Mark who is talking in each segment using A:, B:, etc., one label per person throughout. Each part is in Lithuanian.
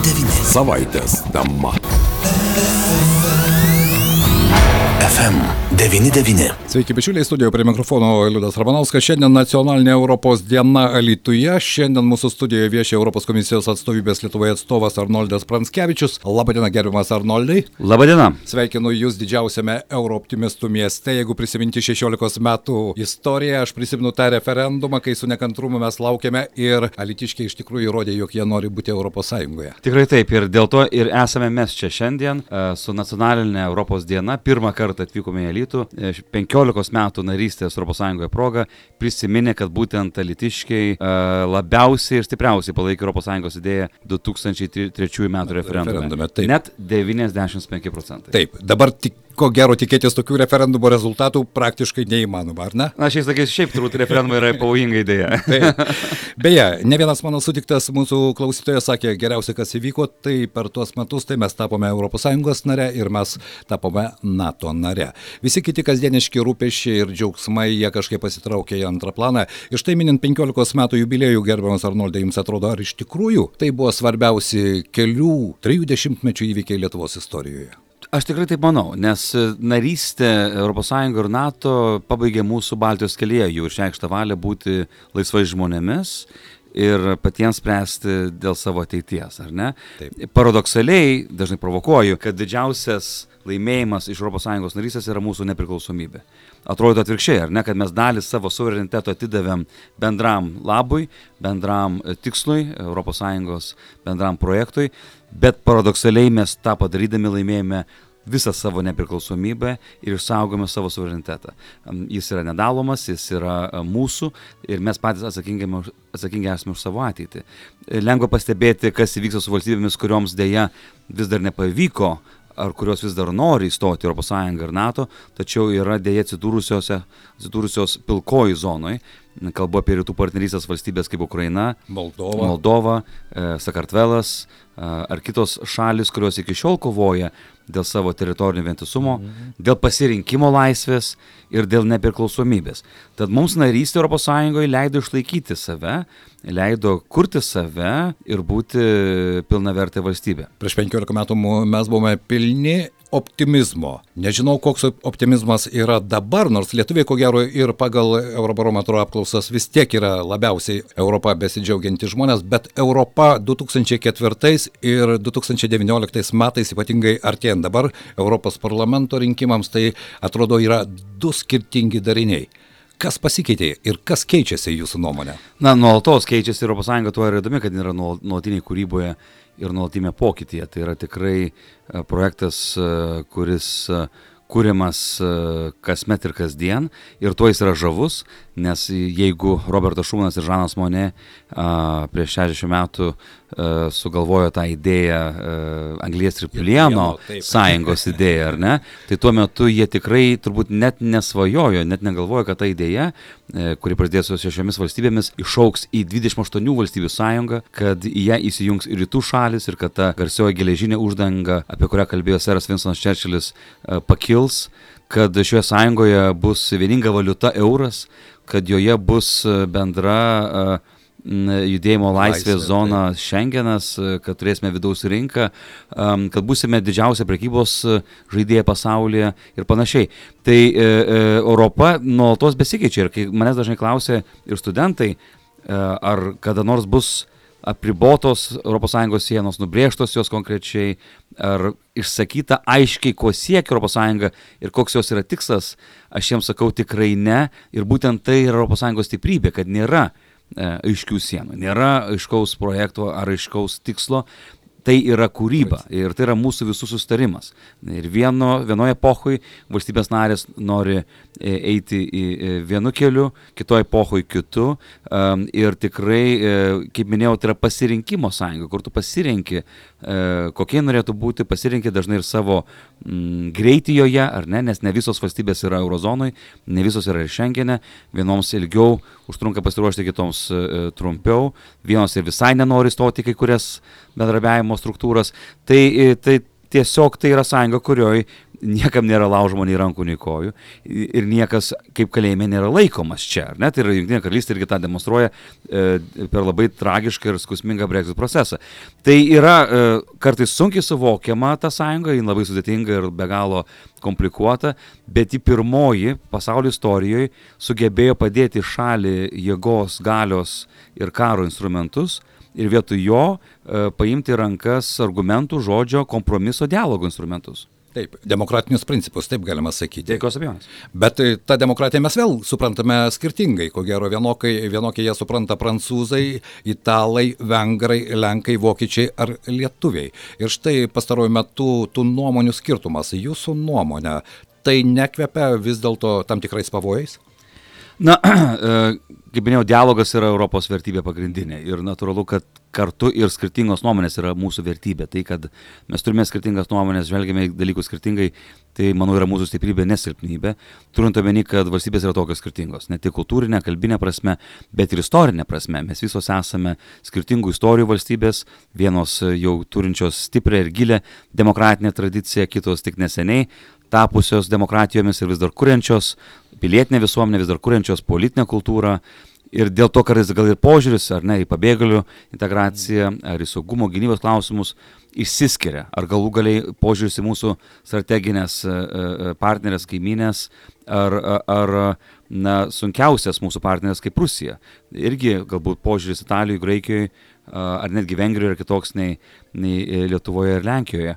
A: 99. Savaitės tema. FM 99.
B: Sveiki, bičiuliai, studijoje prie mikrofono Liudas Ramanauskas. Šiandien nacionalinė Europos diena Alytuje. Šiandien mūsų studijoje vieši Europos komisijos atstovybės Lietuvoje atstovas Arnoldas Pranckevičius. Labadiena, gerbiamas Arnoldai.
C: Labadiena.
B: Sveikinu Jūs didžiausiame eurooptimistų mieste. Jeigu prisiminti 16 metų istoriją, aš prisimenu tą referendumą, kai su nekantrumu mes laukėme ir alytiškiai iš tikrųjų įrodė, jog jie nori būti Europos Sąjungoje.
C: Tikrai taip, ir dėl to ir esame mes čia šiandien su nacionalinė Europos diena. Pirmą kartą atvykome į Alytų. 15 metų narystės Europos Sąjungoje proga prisiminė, kad būtent alytiškiai labiausiai ir stipriausiai palaikė Europos Sąjungos idėją 2003 metų referendume. Net 95%.
B: Taip, dabar ko gero tikėtis tokių referendumo rezultatų praktiškai neįmanoma, ar ne?
C: Na, šiais laikais šiaip turbūt referendumai yra pavojinga idėja.
B: Beje, ne vienas mano sutiktas mūsų klausytojas sakė, geriausia, kas įvyko, tai per tuos metus tai mes tapome ES nare ir mes tapome NATO nare. Visi kiti kasdieniški rūpesčiai ir džiaugsmai, jie kažkaip pasitraukė į antrą planą. Ir štai minint 15 metų jubiliejų, gerbiamas Arnoldai, jums atrodo, ar iš tikrųjų tai buvo svarbiausi kelių 30 įvykiai Lietuvos istorijoje?
C: Aš tikrai taip manau, nes narystė ES ir NATO pabaigė mūsų Baltijos kelyje jų išreikštą valią būti laisvais žmonėmis ir patiems spręsti dėl savo ateities, ar ne? Taip. Paradoksaliai, dažnai provokuoju, kad didžiausias laimėjimas iš ES narystės yra mūsų nepriklausomybė. Atrodo atvirkščiai, ar ne, kad mes dalį savo suvereniteto atidavėm bendram labui, bendram tikslui, ES bendram projektui, bet paradoksaliai mes tą padarydami laimėjome visą savo nepriklausomybę ir išsaugome savo suverenitetą. Jis yra nedalomas, jis yra mūsų ir mes patys atsakingi esame už savo ateitį. Lengva pastebėti, kas įvyksta su valstybėmis, kurioms dėja vis dar nepavyko ar kurios vis dar nori įstoti ES ir NATO, tačiau yra dėja atsidūrusios pilkojų zonoj. Kalbu apie rytų partnerystės valstybės kaip Ukraina, Moldova, Sakartvelas ar kitos šalis, kurios iki šiol kovoja dėl savo teritorinio vientisumo, dėl pasirinkimo laisvės ir dėl nepriklausomybės. Tad mums narystė ES leido išlaikyti save, leido kurti save ir būti pilnavertė valstybė.
B: Prieš 15 metų mes buvome pilni optimizmo. Nežinau, koks optimizmas yra dabar, nors lietuviai, ko gero, ir pagal Eurobarometro apklausas vis tiek yra labiausiai Europą besidžiaugianti žmonės, bet Europa 2004 ir 2019 metais, ypatingai artėjant dabar Europos parlamento rinkimams, tai atrodo yra du skirtingi dariniai. Kas pasikeitė ir kas keičiasi jūsų nuomonė?
C: Na, nuolatos keičiasi ES, tuo yra įdomi, kad yra nuolatiniai kūryboje ir nuolatinėme pokytyje. Tai yra tikrai projektas, kuris kuriamas kasmet ir kasdien ir tuo jis yra žavus, nes jeigu Robertas Šumanas ir Žanas Monė prieš 60 metų sugalvojo tą idėją anglies ir plieno sąjungos idėją, ar ne, tai tuo metu jie tikrai turbūt net nesvajojo, net negalvojo, kad ta idėja, kuri prasidės su 6 valstybėmis, išaugs į 28 valstybių sąjungą, kad į ją įsijungs ir rytų šalis ir kad ta garsioji geležinė uždanga, apie kurią kalbėjo seras Vinstonas Čerčilis, pakils, kad šioje sąjungoje bus vieninga valiuta euras, kad joje bus bendra judėjimo laisvės zona Šengenas, kad turėsime vidaus rinką, kad būsime didžiausia prekybos žaidėja pasaulyje ir panašiai. Tai Europa nuolatos besikeičia ir kai manęs dažnai klausia ir studentai, ar kada nors bus apribotos ES sienos, nubrėžtos jos konkrečiai, ar išsakyta aiškiai, ko siekia ES ir koks jos yra tikslas, aš jiems sakau tikrai ne, ir būtent tai yra ES stiprybė, kad nėra aiškių sienų, nėra aiškaus projekto ar aiškaus tikslo. Tai yra kūryba ir tai yra mūsų visų susitarimas. Ir vienoje epochoje valstybės narės nori eiti į vienu keliu, kitoje epochoje kitu. Ir tikrai, kaip minėjau, tai yra pasirinkimo sąjunga, kur tu pasirenki, kokie norėtų būti, pasirenki dažnai ir savo greitį joje, ar ne, nes ne visos valstybės yra eurozonoje, ne visos yra ir Šengene, vienoms ilgiau užtrunka pasiruošti, kitoms trumpiau, vienos ir visai nenori stoti kai kurias bendradarbiavimo struktūras. Tai tiesiog tai yra sąjunga, kurioje niekam nėra laužoma nei rankų, nei kojų ir niekas kaip kalėjime nėra laikomas čia, ar ne? Tai yra Jungtinė karalystė irgi tą demonstruoja per labai tragišką ir skausmingą Brexit procesą. Tai yra kartais sunkiai suvokiama ta sąjunga, ji labai sudėtinga ir be galo komplikuota, bet ji pirmoji pasaulio istorijoje sugebėjo padėti šalį jėgos, galios ir karo instrumentus ir vietoj jo paimti rankas argumentų, žodžio, kompromiso, dialogo instrumentus.
B: Taip, demokratinius principus, taip galima sakyti.
C: Jokios abejonės.
B: Bet tą demokratiją mes vėl suprantame skirtingai. Ko gero, vienokie jie supranta prancūzai, italai, vengrai, lenkai, vokiečiai ar lietuviai. Ir štai pastaruoju metu tų nuomonių skirtumas. Jūsų nuomonė, tai nekvepia vis dėlto tam tikrais pavojais?
C: Na, kaip minėjau, dialogas yra Europos vertybė pagrindinė ir natūralu, kad kartu ir skirtingos nuomonės yra mūsų vertybė. Tai, kad mes turime skirtingas nuomonės, žvelgiame dalykus skirtingai, tai, manau, yra mūsų stiprybė, nesilpnybė. Turint omeny, kad valstybės yra tokios skirtingos, ne tik kultūrinė, kalbinė prasme, bet ir istorinė prasme. Mes visos esame skirtingų istorijų valstybės, vienos jau turinčios stiprią ir gilę demokratinę tradiciją, kitos tik neseniai tapusios demokratijomis ir vis dar kuriančios pilietinę visuomenę, vis dar kuriančios politinę kultūrą. Ir dėl to kartais gal ir požiūris, ar ne, į pabėgėlių integraciją, ar į saugumo gynybos klausimus išsiskiria. Ar galų galiai požiūris į mūsų strateginės partnerės, kaimynės, ar sunkiausias mūsų partnerės kaip Rusija. Irgi galbūt požiūris Italijoje, Graikijoje, ar netgi Vengrijoje yra kitoks nei Lietuvoje ir Lenkijoje.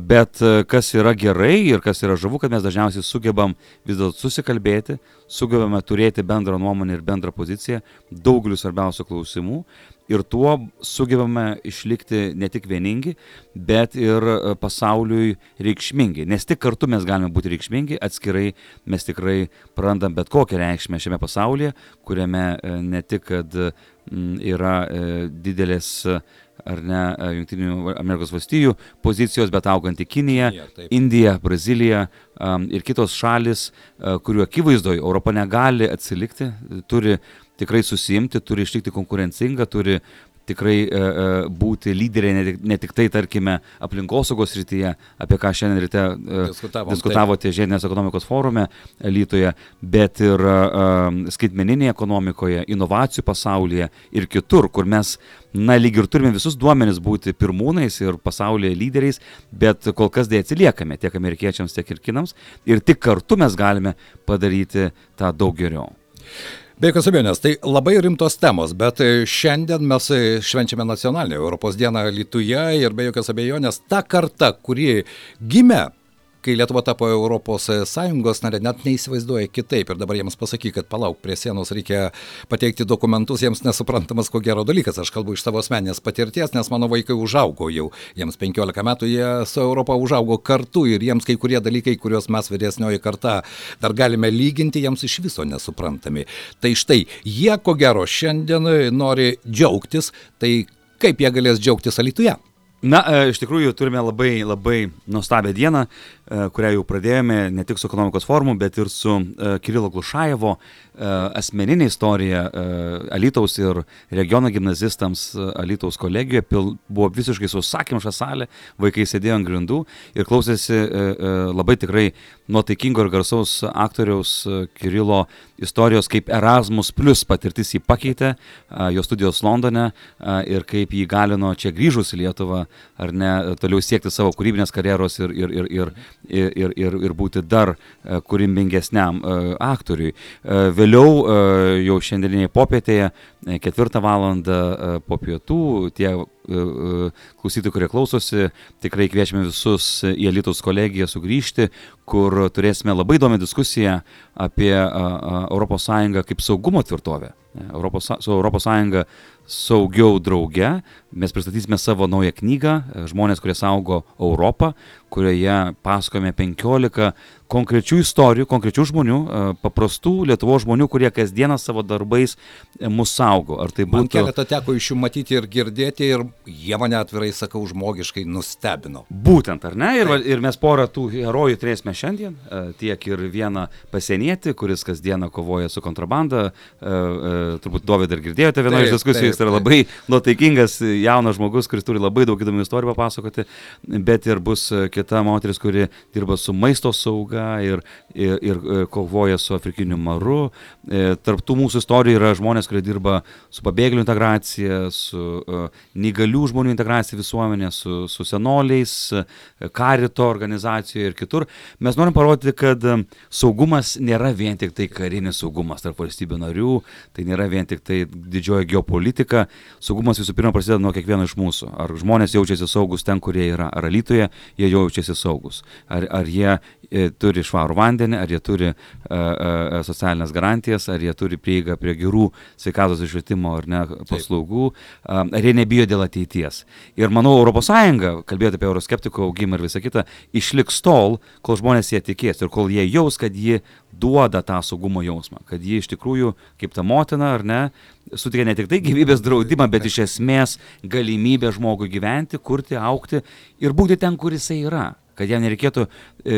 C: Bet kas yra gerai ir kas yra žavu, kad mes dažniausiai sugebam vis dėlto susikalbėti, sugebame turėti bendrą nuomonę ir bendrą poziciją daugeliu svarbiausių klausimų ir tuo sugebame išlikti ne tik vieningi, bet ir pasauliui reikšmingi. Nes tik kartu mes galime būti reikšmingi, atskirai mes tikrai prarandam bet kokią reikšmę šiame pasaulyje, kuriame ne tik, kad yra didelės ar ne Jungtinių Amerikos valstijų pozicijos, bet auganti Kinija, Indija, Brazilija ir kitos šalis, kurių akivaizdoje Europa negali atsilikti, turi tikrai susiimti, turi išlikti konkurencinga, turi tikrai būti lyderiai ne tik tai, tarkime, aplinkosaugos srityje, apie ką šiandien ryte diskutavote žiedinės ekonomikos forume Alytuje, bet ir skaitmeninėje ekonomikoje, inovacijų pasaulyje ir kitur, kur mes, lyg ir turime visus duomenis būti pirmūnais ir pasaulyje lyderiais, bet kol kas dėja atsiliekame tiek amerikiečiams, tiek ir kinams ir tik kartu mes galime padaryti tą daug geriau.
B: Be jokios abejonės, tai labai rimtos temos, bet šiandien mes švenčiame nacionalinę Europos dieną Alytuje ir be jokios abejonės ta karta, kuri gimė, kai Lietuva tapo Europos Sąjungos narė, net neįsivaizduoja kitaip ir dabar jiems pasakyk, kad palauk, prie sienos reikia pateikti dokumentus, jiems nesuprantamas ko gero dalykas. Aš kalbu iš savo asmeninės patirties, nes mano vaikai užaugo jau, jiems 15 metų, jie su Europa užaugo kartu ir jiems kai kurie dalykai, kuriuos mes vyresnioji karta dar galime lyginti, jiems iš viso nesuprantami. Tai štai, jie ko gero šiandien nori džiaugtis, tai kaip jie galės džiaugtis Alytuje?
C: Na, iš tikrųjų turime labai nuostabią dieną, kurią jau pradėjome ne tik su ekonomikos forumu, bet ir su Kirilo Glušajevo asmeninė istorija Alytaus ir regiono gimnazistams Alytaus kolegijoje. Buvo visiškai sausakimša salė, vaikai sėdėjo ant grindų ir klausėsi labai tikrai nuotaikingo ir garsaus aktoriaus Kirilo istorijos, kaip Erasmus plus patirtis jį pakeitė, jo studijos Londone ir kaip jį galino čia grįžus į Lietuvą, ar ne, toliau siekti savo kūrybinės karjeros ir būti dar kūrybingesniam aktoriui. Vėliau jau šiandieninėje popietėje, 4 valandą po pietų, tie klausytojai, kurie klausosi, tikrai kviečiame visus į Alytaus kolegiją sugrįžti, kur turėsime labai įdomią diskusiją apie ES kaip saugumo tvirtovę. Su ES saugiau drauge. Mes pristatysime savo naują knygą Žmonės, kurie saugo Europą, kurioje pasakojame 15 konkrečių istorijų, konkrečių žmonių, paprastų Lietuvos žmonių, kurie kasdieną savo darbais mus saugo. Ar tai būtų...
B: Man keletą teko iš jų matyti ir girdėti ir jie mane atvirai, sakau, žmogiškai nustebino.
C: Būtent, ar ne? Ir mes porą tų herojų turėsime šiandien, tiek ir vieną pasienietį, kuris kasdieną kovoja su kontrabanda. Turbūt Dovydai ir girdėjote vienoje iš diskusijų, jis yra labai nuotaikingas jaunas žmogus, kuris turi labai daug įdomių istorijų papasakoti, bet ir bus kita moteris, kuri dirba su maisto sauga ir kovoja su afrikiniu maru. Tarp tų mūsų istorijų yra žmonės, kurie dirba su pabėgėlių integracija, su neįgalių žmonių integracija visuomenė, su senoliais, karito organizacijoje ir kitur. Mes norim parodyti, kad saugumas nėra vien tik tai karinis saugumas tarp valstybių narių, tai nėra vien tik tai didžioji geopolitika. Saugumas visų pirma prasideda nuo kiekvieno iš mūsų. Ar žmonės jaučiasi saugus ten, kurie yra, ar Alytuje jie jaučiasi saugus. Ar jie turi švarų vandenį, ar jie turi socialinės garantijas, ar jie turi prieigą prie gerų sveikatos ir švietimo ar ne paslaugų, ar jie nebijo dėl ateities. Ir manau, ES, kalbėti apie euroskeptikų augimą ir visą kitą, išliks tol, kol žmonės jie tikės ir kol jie jaus, kad ji duoda tą saugumo jausmą, kad ji iš tikrųjų, kaip ta motina, ar ne, suteikia ne tik tai gyvybės draudimą, bet iš esmės galimybę žmogui gyventi, kurti, augti ir būti ten, kur jisai yra. Kad jam nereikėtų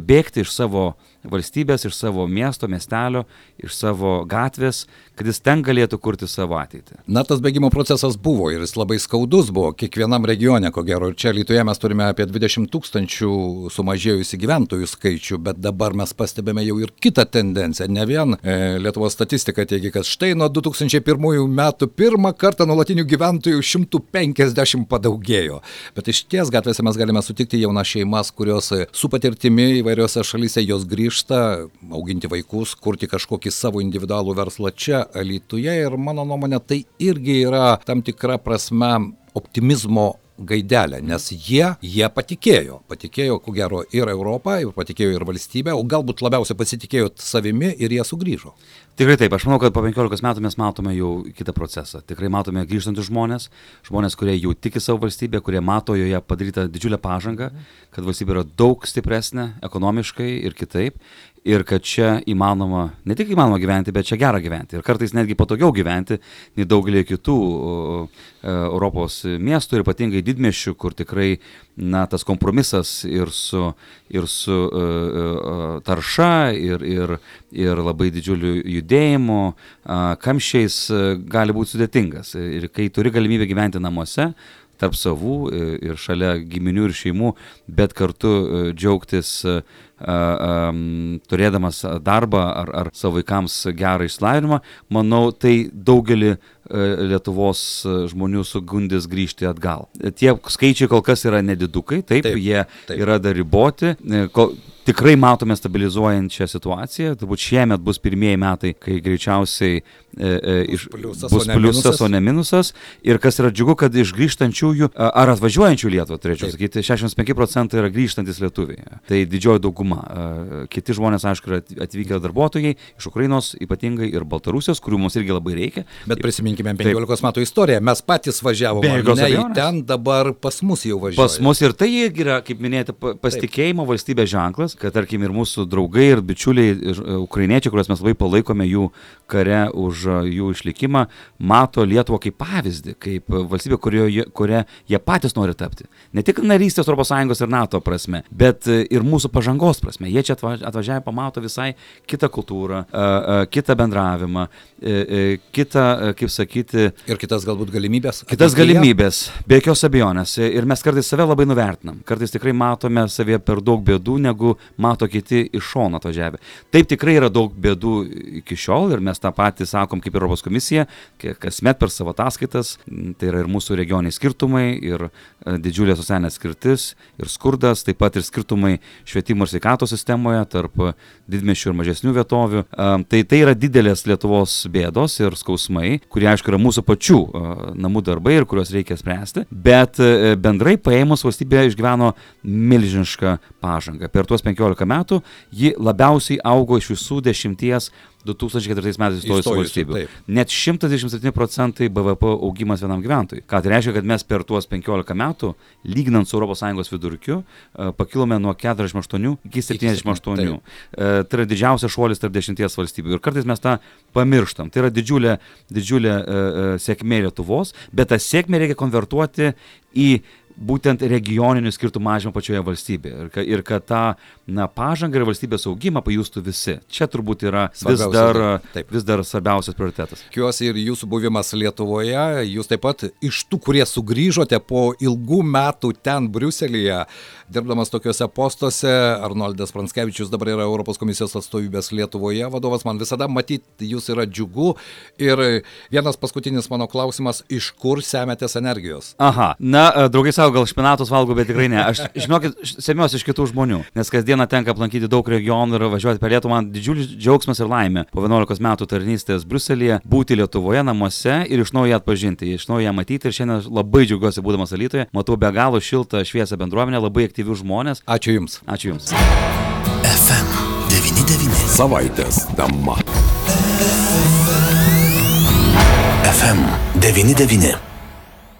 C: bėgti iš savo valstybės, iš savo miesto, miestelio, iš savo gatvės, kad jis ten galėtų kurti savo ateitį.
B: Na, tas bėgimo procesas buvo ir jis labai skaudus buvo kiekvienam regione, ko gero. Ir čia Alytuje mes turime apie 20 000 sumažėjusių gyventojų skaičių, bet dabar mes pastebime jau ir kitą tendenciją. Ne vien Lietuvos statistika teigia, kad štai nuo 2001 metų pirmą kartą nuolatinių gyventojų 150 padaugėjo. Bet iš ties gatvėse mes galime sutikti jaunas šeimas, kurios su patirtimi įvairiose šalyse jos grįžta, auginti vaikus, kurti kažkokį savo individualų verslą čia Alytuje ir mano nuomonė tai irgi yra tam tikra prasme optimizmo gaidelė, nes jie patikėjo, ko gero ir Europą, ir patikėjo ir valstybę, o galbūt labiausiai pasitikėjo savimi ir jie sugrįžo.
C: Tikrai taip, aš manau, kad po 15 metų mes matome jau kitą procesą. Tikrai matome grįžtančius žmonės, kurie jau tiki savo valstybę, kurie mato joje padarytą didžiulę pažangą, kad valstybė yra daug stipresnė ekonomiškai ir kitaip. Ir kad čia įmanoma, ne tik įmanoma gyventi, bet čia gera gyventi. Ir kartais netgi patogiau gyventi nei daugelį kitų Europos miestų ir ypatingai didmiesčių, kur tikrai tas kompromisas ir su tarša ir labai didžiuliu judėjimu, kamščiais gali būti sudėtingas. Ir kai turi galimybę gyventi namuose, tarp savų ir šalia giminių ir šeimų, bet kartu džiaugtis turėdamas darbą ar savo vaikams gerą išsilavinimą, manau, tai daugelį Lietuvos žmonių sugundys grįžti atgal. Tie skaičiai kol kas yra nedidukai, taip. Jie yra dar riboti. Tikrai matome stabilizuojančią situaciją, turbūt šiemet bus pirmieji metai, kai greičiausiai bus pliusas, o ne minusas. Ir kas yra džiugu, kad iš grįžtančiųjų ar atvažiuojančių Lietuvą, turėčiau sakyti, 65% yra grįžtantis lietuviai. Tai didžioji dauguma. Kiti žmonės, aišku, yra atvykę darbuotojai iš Ukrainos, ypatingai ir Baltarusijos, kurių mums irgi labai reikia.
B: Bet prisiminkime 15 metų istoriją. Mes patys važiavome į ten, dabar pas mus jau važiuoja.
C: Pas mus ir tai yra, kaip minėjote, pasitikėjimo valstybės ženklas, kad tarkim ir mūsų draugai ir bičiuliai ukrainiečiai, kuriuos mes labai palaikome jų kare už jų išlikimą, mato Lietuvą kaip pavyzdį, kaip valstybę, kuria jie patys nori tapti. Ne tik narystės ES ir NATO prasme, bet ir mūsų pažangos prasme. Jie čia atvažiavę pamato visai kitą kultūrą, kitą bendravimą, kitą, kaip sakyti...
B: Ir kitas galbūt galimybės.
C: Kitas galimybės, be jokios abejonės. Ir mes kartais save labai nuvertinam. Kartais tikrai matome savie per daug bėdų, negu mato kiti iš šono atvažiavę. Taip tikrai yra daug bėdų iki šiol ir mes tą patį sakom kaip Europos komisija, kasmet per savo ataskaitas. Tai yra ir mūsų regioniai skirtumai, ir didžiulė socialinė skirtis, ir skurdas, taip pat ir skirtumai švietimo ir sveikatos sistemoje tarp didmiesčių ir mažesnių vietovių. Tai yra didelės Lietuvos bėdos ir skausmai, kurie aišku yra mūsų pačių namų darbai ir kuriuos reikia spręsti, bet bendrai paėmus valstybė išgyveno milžinišką pažangą. Per tuos 15 metų ji labiausiai augo iš visų 10 2004 metais įstojusių valstybių. Net 127% BVP augimas vienam gyventojui. Ką tai reiškia, kad mes per tuos 15 metų, lyginant su ES vidurkiu, pakilome nuo 48 iki 78. Tai yra didžiausias šuolis tarp 10 valstybių. Ir kartais mes tą pamirštam. Tai yra didžiulė sėkmė Lietuvos, bet tą sėkmę reikia konvertuoti į būtent regioninių skirtumų mažinimą pačioje valstybėje ir kad tą pažangą ir valstybės augimą pajustų visi. Čia turbūt yra vis dar svarbiausias prioritetas.
B: Tikiuosi ir jūsų buvimas Lietuvoje, jūs taip pat iš tų, kurie sugrįžote po ilgų metų ten Briuselyje, dirbdamas tokiuose postuose, Arnoldas Pranckevičius dabar yra Europos komisijos atstovybės Lietuvoje vadovas, man visada matyti jūs yra džiugu. Ir vienas paskutinis mano klausimas, iš kur semiatės energijos?
C: Aha, draugai savo, gal špinatus valgo, bet tikrai ne. Aš, žinokit, semiuosi iš kitų žmonių, nes kasdieną tenka aplankyti daug regionų ir važiuoti per Lietuvą. Man didžiulis džiaugsmas ir laimė po 11 metų tarnystės Briuselyje būti Lietuvoje namuose ir iš naujo ją atpažinti, iš naujo ją matyti. Ir šiandien labai džiaugiuosi būdamas Alytuje. Matau be galo šiltą, šviesią bendruomenę, labai aktyvių žmonės.
B: Ačiū Jums.
C: Ačiū Jums.
A: FM 99. Savaitės dama. FM 99.